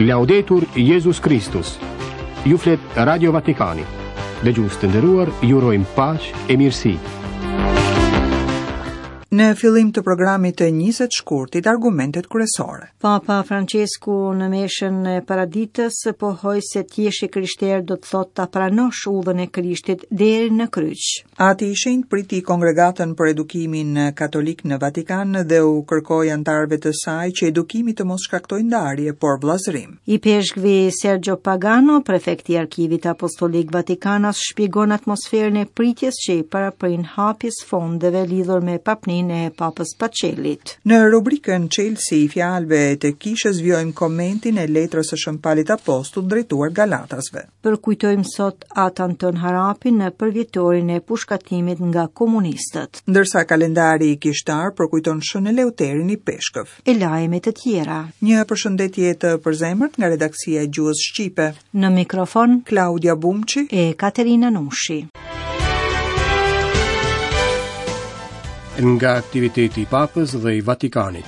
Laudetur Jezus Kristus. Ju flet Radio Vatikani. Dëgjues të nderuar, ju urojmë paqe e mirësi. Në fillim të programit të 20 shkurtit, argumentet kryesore. Papa Francesku në meshën e paraditës pohoi se të jesh i krishterë do të thotë ta pranosh udhën e Krishtit deri në kryq. Ati i Shenjtë priti Kongregatën për Edukimin Katolik në Vatikan dhe u kërkoi anëtarëve të saj që edukimi të mos shkaktojë ndarje, por vëllazërim. Ipeshkvi Sergio Pagano, prefekti i Arkivit Apostolik Vatikanas, shpjegon atmosferën e pritjes që i paraprin hapjes fondeve lidhur me papninë e Papës Pacelit. Në rubrikën Çelësi i fjalëve të Kishës vijojmë komentin e letrës së Shën Palit Apostull drejtuar Galatasve. Përkujtojmë sot At Anton Harapin në përvjetorin e pushkatimit nga komunistët. Ndërsa kalendari kishtar përkujton Shën Eleuterin ipeshkëv. E lajme të tjera. Një përshëndetje të përzemërt nga redaksia e gjuhës shqipe. Në mikrofon Klaudia Bumçi e Katerina Nushi. Nga aktiviteti i Papës dhe i Vatikanit.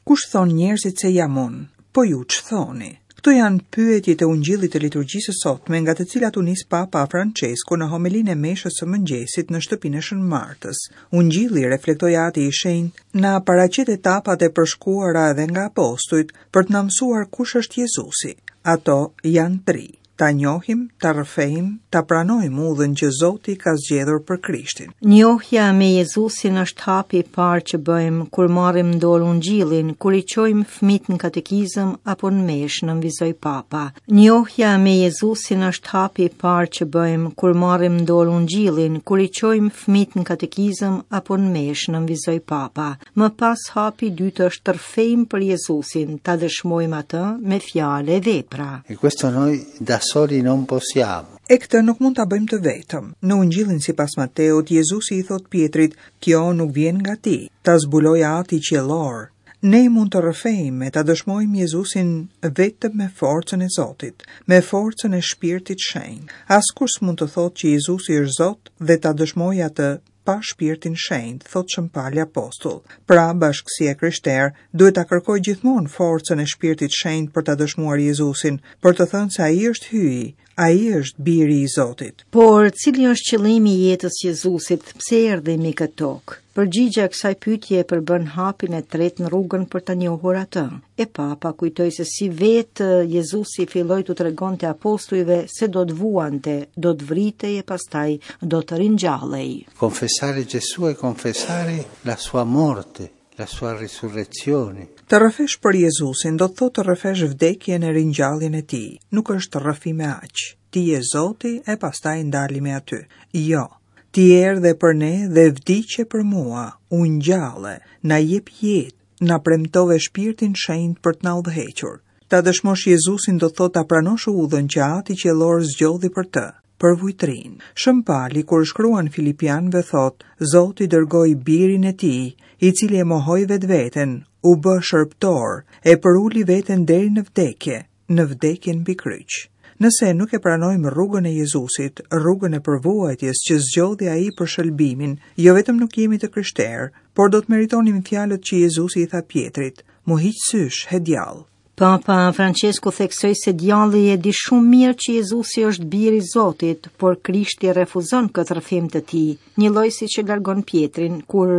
Kush thonë njerëzit se jam unë? Po ju ç'thoni? Këto janë pyetjet e Ungjillit të liturgjisë së sotme, nga të cilat u nis Papa Francesku në homelinë e meshës së mëngjesit në shtëpinë e Shën Martës. Ungjilli, reflektoi Ati i Shenjtë, na paraqet etapat e përshkuara edhe nga apostujt për të na mësuar kush është Jezusi. Ato janë tri. Ta njohim, ta rrëfejmë, ta pranojmë udhën që Zoti ka zgjedhur për Krishtin. Njohja me Jezusin është hapi i parë që bëjmë kur marrim në dorë Ungjillin, kur i çojmë fëmijët në katekizëm apo në meshë, nënvizoi Papa. Njohja me Jezusin është hapi i parë që bëjmë kur marrim në dorë Ungjillin, kur i çojmë fëmijët në katekizëm apo në meshë, nënvizoi Papa. Më pas hapi i dytë është të rrëfejmë për Jezusin, ta dëshmojmë atë me fjalë e vepra. E questo noi da soli non possiamo. E këtë nuk mund ta bëjmë të vetëm. Në Ungjillin sipas Mateut, Jezusi i thotë Pjetrit, "Kjo nuk vjen nga ti, ta zbuloi Ati qiellor." Ne mund të rrëfejmë e ta dëshmojmë Jezusin vetëm me forcën e Zotit, me forcën e Shpirtit Shenjt. Askush s'mund të thotë që Jezusi është Zot dhe ta dëshmojë atë pa Shpirtin Shenjt, thotë Shën Pali Apostull. Pra, bashkësia e krishterë duhet ta kërkojë gjithmonë forcën e Shpirtit Shenjt për ta dëshmuar Jezusin, për të thënë se Ai është Hyji, Ai është Biri i Zotit. Por, cili është qëllimi i jetës së Jezusit, pse erdhi mbi këtë tokë? Përgjigja e kësaj pyetje përbën hapin e tretë në rrugën për ta njohur atë. E Papa kujtoi se si vetë Jezusi filloi t'u tregonte apostujve se do të vuante, do të vritej e pastaj do të ringjallej. Confessare Gesù è confessare la sua morte, la sua risurrezione. Të rrëfesh për Jezusin do të thotë të rrëfesh vdekjen e ringjalljen e tij. Nuk është rrëfim e aq. Ti je Zoti e pastaj ndalemi aty. Jo. Ti erdhe për ne dhe vdiqe për mua, u ngjalle, na jep jetë, na premtove Shpirtin Shenjt për të na udhëhequr. Ta dëshmosh Jezusin do të thotë ta pranosh udhën që Ati Qiellor zgjodhi për të, përvujtërinë. Shën Pali kur shkruan Filipianëve thotë, Zoti dërgoi birin e tij, i cili e mohoi vetveten, u bë shërbëtor, e përuli veten deri në vdekje, në vdekjen mbi kryq. Nëse nuk e pranojmë rrugën e Jezusit, rrugën e përvuajtjes që zgjodhi ai për shëlbimin, jo vetëm nuk jemi të krishterë, por do të meritonim fjalët që Jezusi i tha Pjetrit, M'u hiq sysh, he djall. Papa Francesku theksoi se djalli e di shumë mirë që Jezusi është biri i Zotit, por Krishti refuzon këtë rrëfim të tij, njëlloj siç e largon Pjetrin kur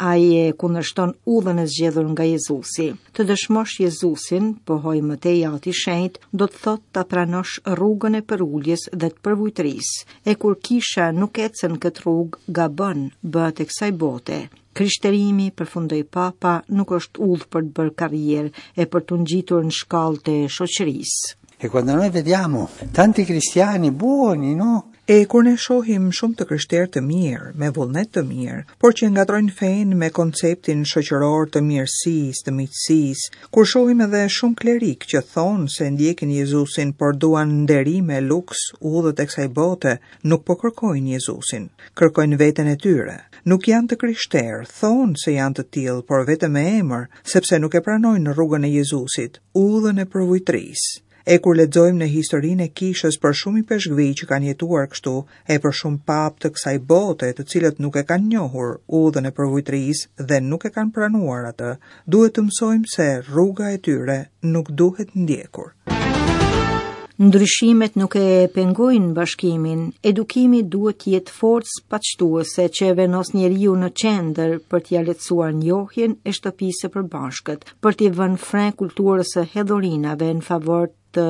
ai e kundërshton udhën e zgjedhur nga Jezusi. Të dëshmosh Jezusin, pohoi më tej Ati i Shenjtë, do të thotë ta pranosh rrugën e përuljes dhe të përvujtërisë. E kur kisha nuk ecën këtë rrugë, gabon, bëhet e kësaj bote. Krishterimi, përfundoi Papa, nuk është udhë për të bërë karrierë e për t'u ngjitur në shkallët e shoqërisë. E quando noi vediamo tanti cristiani buoni, no? E kur ne shohim shumë të krishterë të mirë, me vullnet të mirë, por që e ngatërrojnë fenë me konceptin shoqëror të mirësisë, të miqësisë, kur shohim edhe shumë klerikë që thonë se ndjekin Jezusin, por duan nderime, luks, udhët e kësaj bote, nuk po kërkojnë Jezusin, kërkojnë veten e tyre. Nuk janë të krishterë, thonë se janë të tillë, por vetëm me emër, sepse nuk e pranojnë rrugën e Jezusit, udhën e përvujtërisë. E kur lexojmë në historinë e kishës për shumë ipeshkvij që kanë jetuar kështu, e për shumë papë të kësaj bote të cilët nuk e kanë njohur udhën e përvujtërisë dhe nuk e kanë pranuar atë, duhet të mësojmë se rruga e tyre nuk duhet ndjekur. Ndryshimet nuk e pengojnë bashkimin. Edukimi duhet të jetë forcë paqtuese që e vendos njeriun në qendër për t'ia lehtësuar njohjen e shtëpisë së përbashkët, për t'i vënë fre kulturës së hedhurinave në favor të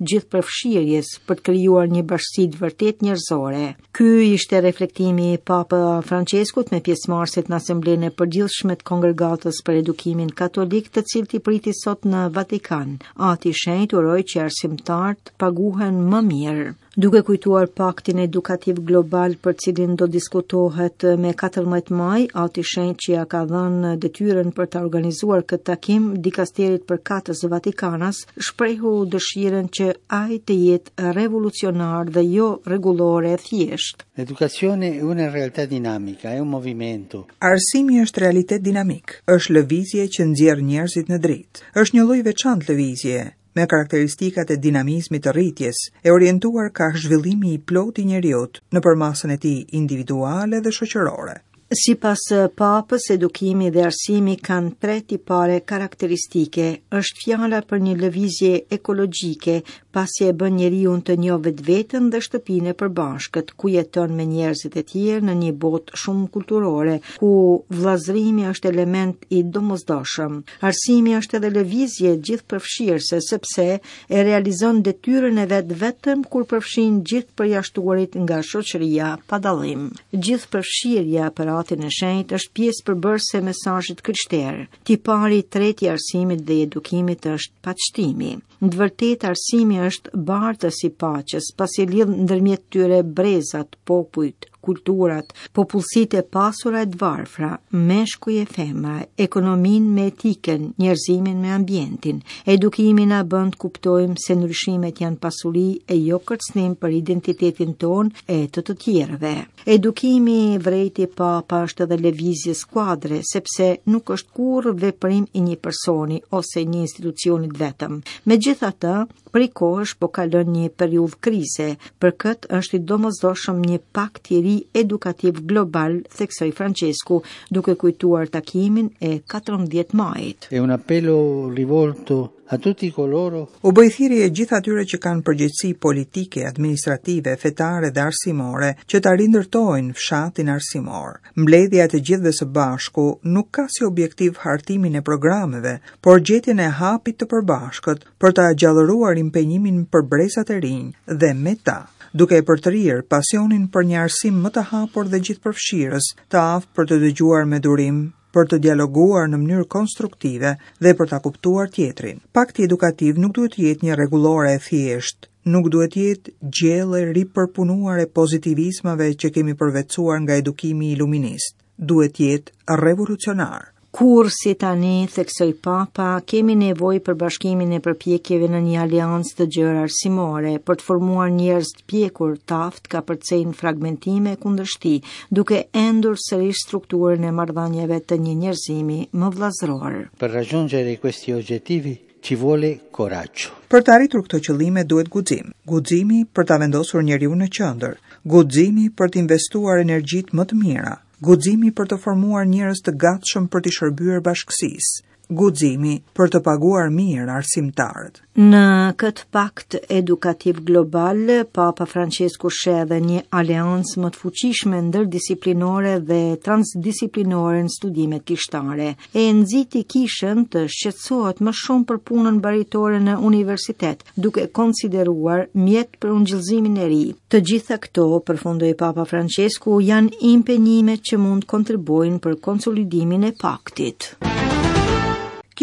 gjithëpërfshirjes për të krijuar një bashkësi të vërtetë njerëzore. Ky ishte reflektimi i Papa Françeskut me pjesëmarrësit në Asamblenë e Përgjithshme të Kongregatës për Edukimin Katolik, të cilët i priti sot në Vatikan. Ati i Shenjtë uroi që arsimtarët të paguhen më mirë. Duke kujtuar paktin edukativ global për cilin do diskutohet me 14 maj, Ati i Shenjtë që ia ka dhënë detyrën për ta organizuar këtë takim dikasterit përkatës Vatikanas, shprehu dëshirën që ai të jetë revolucionar dhe jo rregullore e thjeshtë. L'educazione è una realtà dinamica, è un movimento. Arsimi është realitet dinamik, është lëvizje që nxjerr njerëzit në dritë. Është një lloj i veçantë lëvizje, me karakteristikat e dinamizmit të rritjes, e orientuar kah zhvillimi i plotë i njeriut në përmasën e tij individuale dhe shoqërore. Sipas Papës, edukimi dhe arsimi kanë tre tipare karakteristike. Është fjala për një lëvizje ekologjike, pasi e bën njeriun të njohë vetveten dhe shtëpinë e përbashkët, ku jeton me njerëzit e tjerë në një botë shumëkulturore, ku vëllazërimi është element i domosdoshëm. Arsimi është edhe lëvizje gjithëpërfshirëse sepse e realizon detyrën e vet vetëm kur përfshin gjithë përjashtuarit nga shoqëria pa dallim. Gjithëpërfshirja për Atin e Shenjtë është pjesë përbërëse e mesazhit të krishterë. Tipari i tretë i arsimit dhe i edukimit është paqtimi. Në të vërtetë arsimi është bartës i paqes, pasi lidh ndërmjet tyre brezat, popujt, kulturat, popullsitë e pasura e të varfra, meshkuj e femra, ekonominë me etikën, njerëzimin me ambientin. Edukimi na bën të kuptojmë se ndryshimet janë pasuri e jo kërcënim për identitetin tonë e të të tjerëve. Edukimi, vërejti Papa, është edhe lëvizje skuadre, sepse nuk është kurrë veprim i një personi ose një institucioni të vetëm. Megjithatë, prej kohësh po kalon një periudhë krize. Për këtë është i domosdoshëm një pakt i ri edukativ global, theksoi Françesku, duke kujtuar takimin e 14 majit. È un appello rivolto A tutti coloro U bëj thirrje gjithë atyre që kanë përgjegjësi politike, administrative, fetare dhe arsimore që ta rindërtojnë fshatin arsimor. Mbledhja e të gjithëve së bashku nuk ka si objektiv hartimin e programeve, por gjetjen e hapit të përbashkët për ta gjallëruar impenjimin për brezat e rinj dhe me ta, duke e përtërirë pasionin për një arsim më të hapur dhe gjithëpërfshirës, të aftë për të dëgjuar me durim, për të dialoguar në mënyrë konstruktive dhe për ta kuptuar tjetrin. Pakti edukativ nuk duhet të jetë një rregullore e thjeshtë, nuk duhet të jetë gjellë e ripërpunuar e pozitivizmave që kemi përvetësuar nga edukimi iluminist. Duhet të jetë revolucionar. Kurrë si tani, theksoi Papa, kemi nevojë për bashkimin e përpjekjeve në një aleancë të gjerë arsimore, për të formuar njerëz të pjekur, të aftë të kapërcejnë fragmentime e kundërshti, duke endur sërish strukturën e marrëdhënieve të një njerëzimi më vëllazëror. Per raggiungere questi obiettivi ci vuole coraggio. Për të arritur këto qëllime duhet guxim. Guximi për ta vendosur njeriun në qendër, guximi për të investuar energjitë më të mira, guximi për të formuar njerëz të gatshëm për t'i shërbyer bashkësisë, guximi për të paguar mirë arsimtarët. Në këtë pakt edukativ global, Papa Françesku sheh edhe një aleancë më të fuqishme ndërdisiplinore dhe transdisiplinore në studimet kishtare. E nxiti kishën të shqetësohet më shumë për punën baritore në universitet, duke e konsideruar mjet për ungjillëzimin e ri. Të gjitha këto, përfundoi Papa Françesku, janë impenjime që mund të kontribuojnë për konsolidimin e paktit.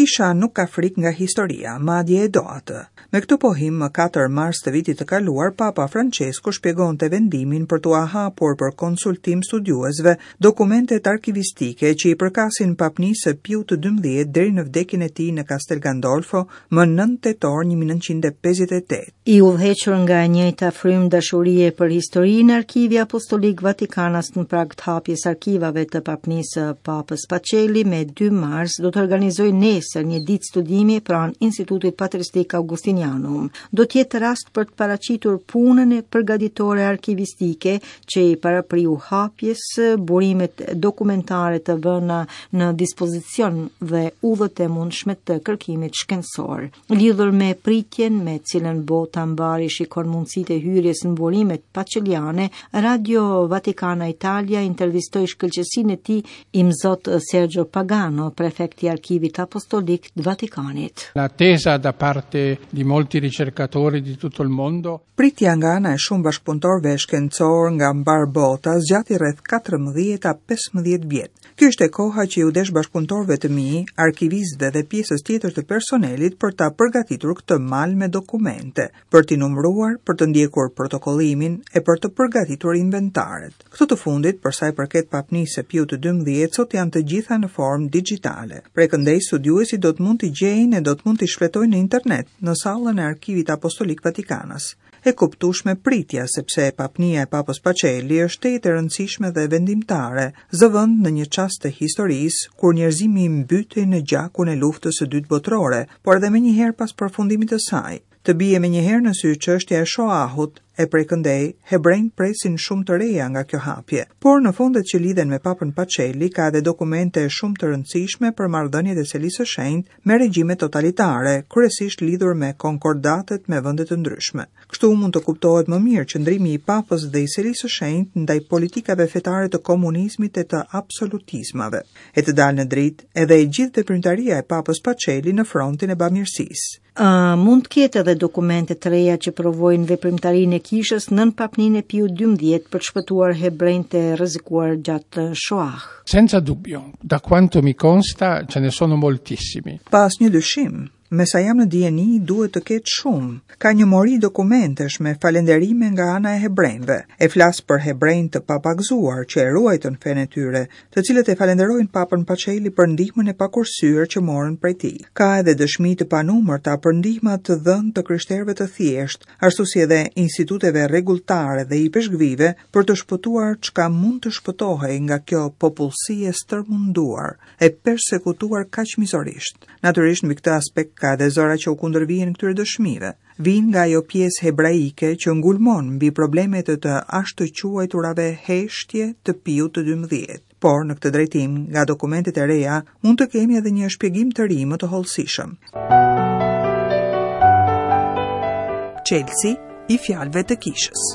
Kisha nuk ka frikë nga historia, madje e do atë. Me këtë pohim, më 4 mars të vitit të kaluar, Papa Françesku shpjegonte vendimin për t'ua hapur për konsultim studiuesve dokumentet arkivistike që i përkasin papnisë së Piut të 12 deri në vdekjen e tij në Castel Gandolfo më 9 tetor 1958. I udhëhequr nga e njëjta frymë dashurie për historinë, Arkivi Apostolik Vatikanas në prag të hapjes arkivave të papnisë së Papës Pacelli me 2 mars do të organizojë nesër. nesër një ditë studimi pranë Institutit Patristik Augustinianum. Do të jetë rast për të paraqitur punën e përgatitore arkivistike që i parapriu hapjes, burimet dokumentare të vëna në dispozicion dhe udhët e mundshme të kërkimit shkencor. Lidhur me pritjen me cilën bota mbarë i shikon mundësitë e hyrjes në burimet paçeliane, Radio Vatikana Italia intervistoi shkëlqesinë e tij Imzot Sergio Pagano, prefekt i Arkivit Apostolik të Vatikanit. L'attesa da parte di molti ricercatori di tutto il mondo Pritja nga ana e shumë bashkëpunëtorëve shkencorë nga mbarë bota zgjati rreth 14 a 15 vjet. Kjo ishte koha që iu desh bashkëpunëtorëve të mi, arkivistëve dhe pjesës tjetër të personelit për ta përgatitur këtë mal me dokumente, për t'i numëruar, për të ndjekur protokollimin e për të përgatitur inventaret. Këto të fundit, për sa i përket papnisë së Piut të 12, sot janë të gjitha në formë dixhitale. Prej këndej studiuesit do të mund t'i gjejnë e do të mund t'i shfletojnë në internet, në sallën e Arkivit Apostolik Vatikanas. E kuptueshme pritja, sepse papnia e Papës Pacelli është tejet e rëndësishme dhe vendimtare, zë vend në një çast të historisë, kur njerëzimi mbytej në gjakun e luftës së dytë botërore, por edhe menjëherë pas përfundimit të saj. Të bie menjëherë në sy çështja e Shoahut, e prej këndej, hebrenjtë presin shumë të reja nga kjo hapje. Por në fondet që lidhen me Papën Pacelli ka edhe dokumente shumë të rëndësishme për marrëdhëniet e Selisë së Shenjtë me regjime totalitare, kryesisht lidhur me konkordatet me vende të ndryshme. Kështu mund të kuptohet më mirë qëndrimi i Papës dhe i Selisë së Shenjtë ndaj politikave fetare të komunizmit e të absolutizmave. E të dalë në dritë edhe e gjithë veprimtaria e Papës Pacelli në frontin e bamirësisë. A mund të ketë edhe dokumente të reja që provojnë veprimtarinë e kishës nën papninë e Piut XII për të shpëtuar hebrenjtë e rrezikuar gjatë Shoah? Senza dubbio, da quanto mi consta ce ne sono moltissimi. Pa asnjë dyshim, me sa jam në dijeni duhet të ketë shumë. Ka një mori dokumentesh me falënderime nga ana e hebrenjve. E flas për hebrenj të papagëzuar që e ruajtën fenë e tyre, të cilët e falënderojnë Papën Pacelli për ndihmën e pakursyer që morën prej tij. Ka edhe dëshmi të panumërta për ndihma të dhënë të krishterëve të thjeshtë, ashtu si edhe instituteve rregulltare dhe ipeshkvive për të shpëtuar çka mund të shpëtohej nga kjo popullsi e stërmunduar, e persekutuar kaq mizorisht. Natyrisht mbi këtë aspekt ka edhe zëra që u kundërvihen këtyre dëshmive. Vijnë nga ajo pjesë hebraike që ngulmon mbi problemet e të ashtuquajturave heshtje të Piut të 12. Por, në këtë drejtim, nga dokumentet e reja, mund të kemi edhe një shpjegim të ri më të hollësishëm. Çelësi i fjalëve të kishës.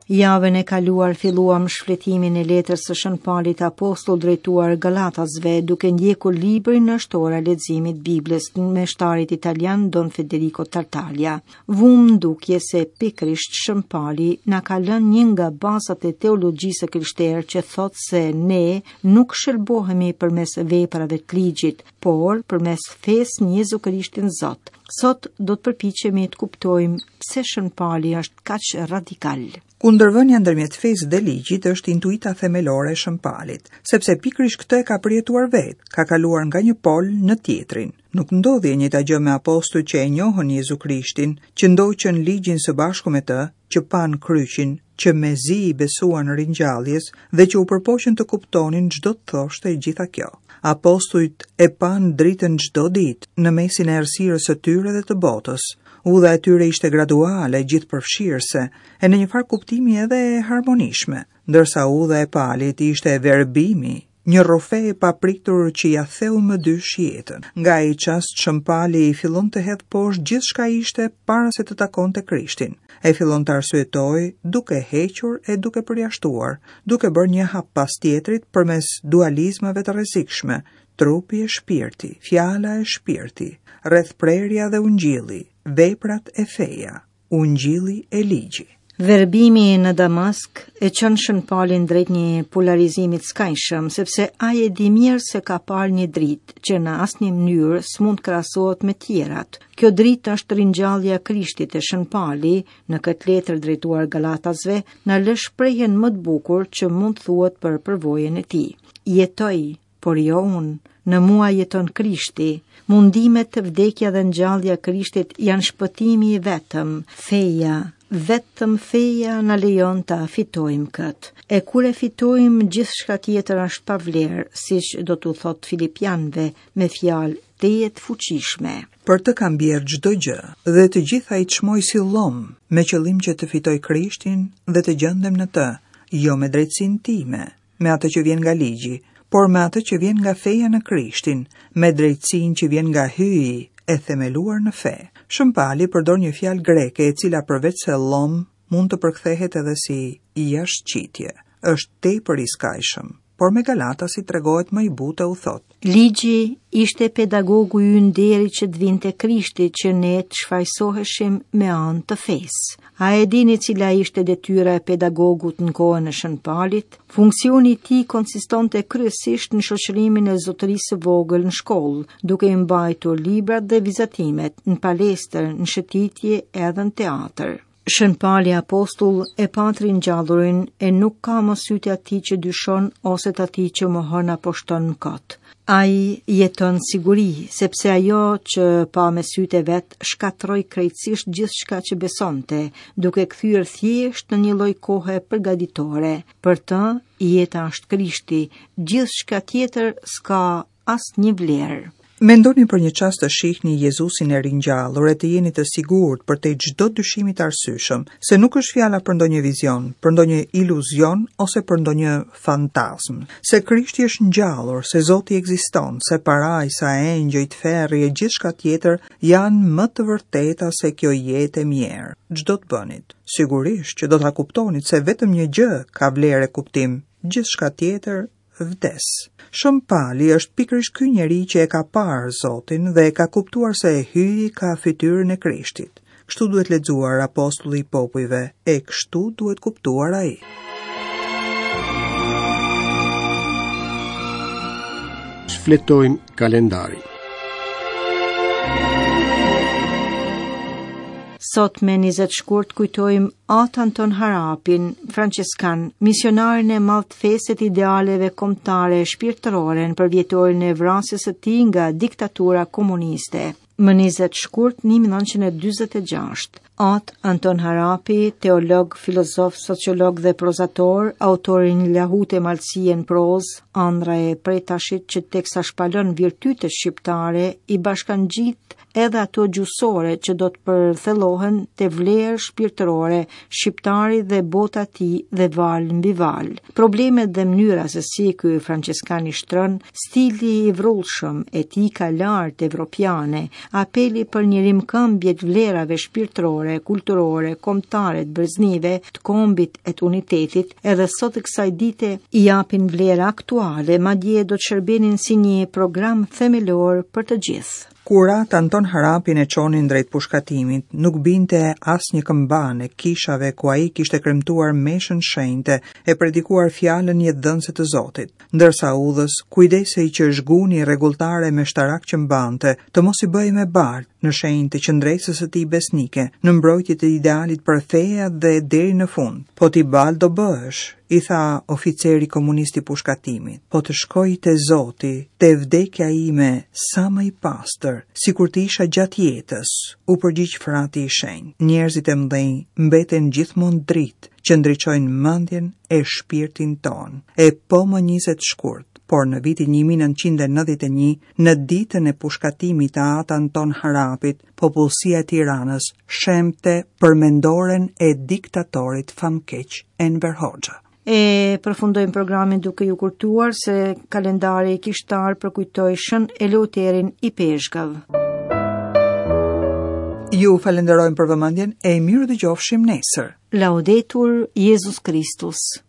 Javën e kaluar filluam shfletimin e letrës së Shën Palit Apostull drejtuar Galatasve, duke ndjekur librin Është ora e leximit të Biblës të meshtarit italian Don Federico Tartaglia. Vumë në dukje se pikërisht Shën Pali na ka lënë një nga bazat e teologjisë së krishterë që thotë se ne nuk shëlbohemi përmes veprave të ligjit, por përmes fesë në Jezu Krishtin Zot. Sot do të përpiqemi të kuptojmë pse Shën Pali është kaq radikal. Kundërvënia ndërmjet fesë dhe ligjit është intuita themelore e Shën Palit, sepse pikërisht këtë e ka përjetuar vetë, ka kaluar nga një pol në tjetrin. Nuk ndodhi e njëjta gjë me apostujt që e njohën Jezu Krishtin, që ndoqën ligjin së bashku me të, që panë kryqin, që mezi i besuan ringjalljes dhe që u përpoqën të kuptonin ç'do të thoshte e gjitha kjo. Apostujt e panë dritën çdo ditë në mesin e errësirës së tyre dhe të botës. Udha e tyre ishte graduale, gjithëpërfshirëse, e në një farë kuptimi edhe e harmonishme, ndërsa udha e Palit ishte verbimi, një rrufe e papritur që ia theu më dysh jetën. Nga ai çast Shën Pali fillon të hedhë poshtë gjithçka ishte para se të takonte Krishtin. E fillon të arsyetojë duke hequr e duke përjashtuar, duke bërë një hap pas tjetrit përmes dualizmave të rrezikshme, trupi e shpirti, fjala e shpirti, rrethprerja dhe ungjilli, veprat e feja. Ungjilli e ligji. Verbimi në Damask e çon Shën Palin drejt një polarizimi të skajshëm, sepse ai e di mirë se ka parë një dritë që në asnjë mënyrë s'mund të krahasohet me tjerat. Kjo dritë është ringjallja e Krishtit e Shën Pali, në këtë letër drejtuar Galatasve, na lë shprehjen më të bukur që mund të thuhet për përvojën e tij. Jetoj, por jo unë, në mua jeton Krishti. Mundimet, vdekja dhe ngjallja e Krishtit janë shpëtimi i vetëm, feja, Vetëm feja na lejon ta fitojmë këtë. E kur e fitojmë, gjithçka tjetër është pa vlerë, siç do t'u thotë Filipianëve me fjalë tejet të fuqishme. Për të kam bjerrë çdo gjë dhe të gjitha i çmoj si llom, me qëllim që të fitoj Krishtin dhe të gjendem në të, jo me drejtësinë time, me atë që vjen nga ligji, por me atë që vjen nga feja në Krishtin, me drejtësinë që vjen nga Hyji e themeluar në fe. Shën Pali përdor një fjalë greke e cila përveç se llom mund të përkthehet edhe si jashtëqitje. Është tepër i skajshëm, por me Galatasit tregohet më i butë e u thotë. Ligji ishte pedagogu ynë deri që të vinte Krishti që ne të shfajësoheshim me anë të fesë. A e dini cila ishte detyra e pedagogut në kohën e Shën Palit? Funksioni i tij konsistonte kryesisht në shoqërimin e zotërisë së vogël në shkollë, duke i mbajtur librat dhe vizatimet në palestër, në shëtitje edhe në teatër. Shën Pali apostull e pa të ringjallurin e nuk ka më sytë e atij që dyshon ose të atij që mohon apo shton mëkat. Ai jeton në siguri, sepse ajo që pa me sytë e vet shkatërroi krejtësisht gjithçka që besonte, duke kthyer thjesht në një lloj kohe përgatitore. Për të, jeta është Krishti, gjithçka tjetër s'ka asnjë vlerë. Mendoni për një çast të shihni Jezusin e ringjallur e të jeni të sigurt përtej çdo dyshimi të arsyeshëm, se nuk është fjala për ndonjë vizion, për ndonjë iluzion ose për ndonjë fantazmë, se Krishti është ngjallur, se Zoti ekziston, se parajsa, engjëjt, ferri e gjithçka tjetër janë më të vërteta se kjo jetë e mjerë. Ç'do të bënit? Sigurisht që do ta kuptonit se vetëm një gjë ka vlerë e kuptim, gjithçka tjetër vdes. Shën Pali është pikërisht ky njeri që e ka parë Zotin dhe e ka kuptuar se Hyji ka fytyrën e Krishtit. Kështu duhet lexuar apostulli i popujve e kështu duhet kuptuar ai. Shfletojmë kalendarin. Sot me 20 shkurt kujtojmë At Anton Harapin, françeskan, misionarin e madh të fesë e të idealeve kombëtare e shpirtërore në përvjetorin e vrasjes së tij nga diktatura komuniste. Më 20 shkurt 1946, At Anton Harapi, teolog, filozof, sociolog dhe prozator, autor i një lahute malësie në prozë, Andrra e Pretashit që teksa shpalon virtytet shqiptare, i bashkangjit edhe ato gjuhësore që do të përthellohen te vlerë shpirtërore, shqiptari dhe bota e tij dhe valë mbi valë. Problemet dhe mënyra se si ky françeskan i shtron, stili i vrullshëm, etika e lartë evropiane, apeli për një rimëkëmbje të vlerave shpirtërore, kulturore, kombëtare të breznive, të kombit e të unitetit, edhe sot e kësaj dite i japin vlera aktuale, madje do të shërbenin si një program themelor për të gjithë. Kur At Anton Harapin e çonin drejt pushkatimit, nuk binte asnjë këmbanë e kishave ku ai kishte kremtuar meshën shenjte e predikuar fjalën jetëdhënëse të Zotit, ndërsa udhës kujdesej që zhguni rregulltarë e meshtarakë që mbante, të mos i bëhej me baltë, në shenjë të qëndresës së tij besnike, në mbrojtje të idealit për fe e atdhe deri në fund. Po ti baltë do bëhesh, i tha oficeri komunist i pushkatimit, po të shkoj te Zoti, te vdekja ime sa më i pastër, sikur të isha gjatë jetës, u përgjigj frati i shenjtë. Njerëzit e mëdhenj mbeten gjithmonë dritë që ndriçojnë mendjen e shpirtin tonë. E po më 20 shkurt, por në vitin 1991, në ditën e pushkatimit të At Anton Harapit, popullsia e Tiranës shembte përmendoren e diktatorit famkeq Enver Hoxha. E përfundojmë programin duke ju kujtuar se kalendari kishtar përkujtoi Shën Eleuterin Ipeshkëv. Ju falenderojmë për vëmendjen e mirudëgjofshim nesër. Laudetur Jezus Kristus.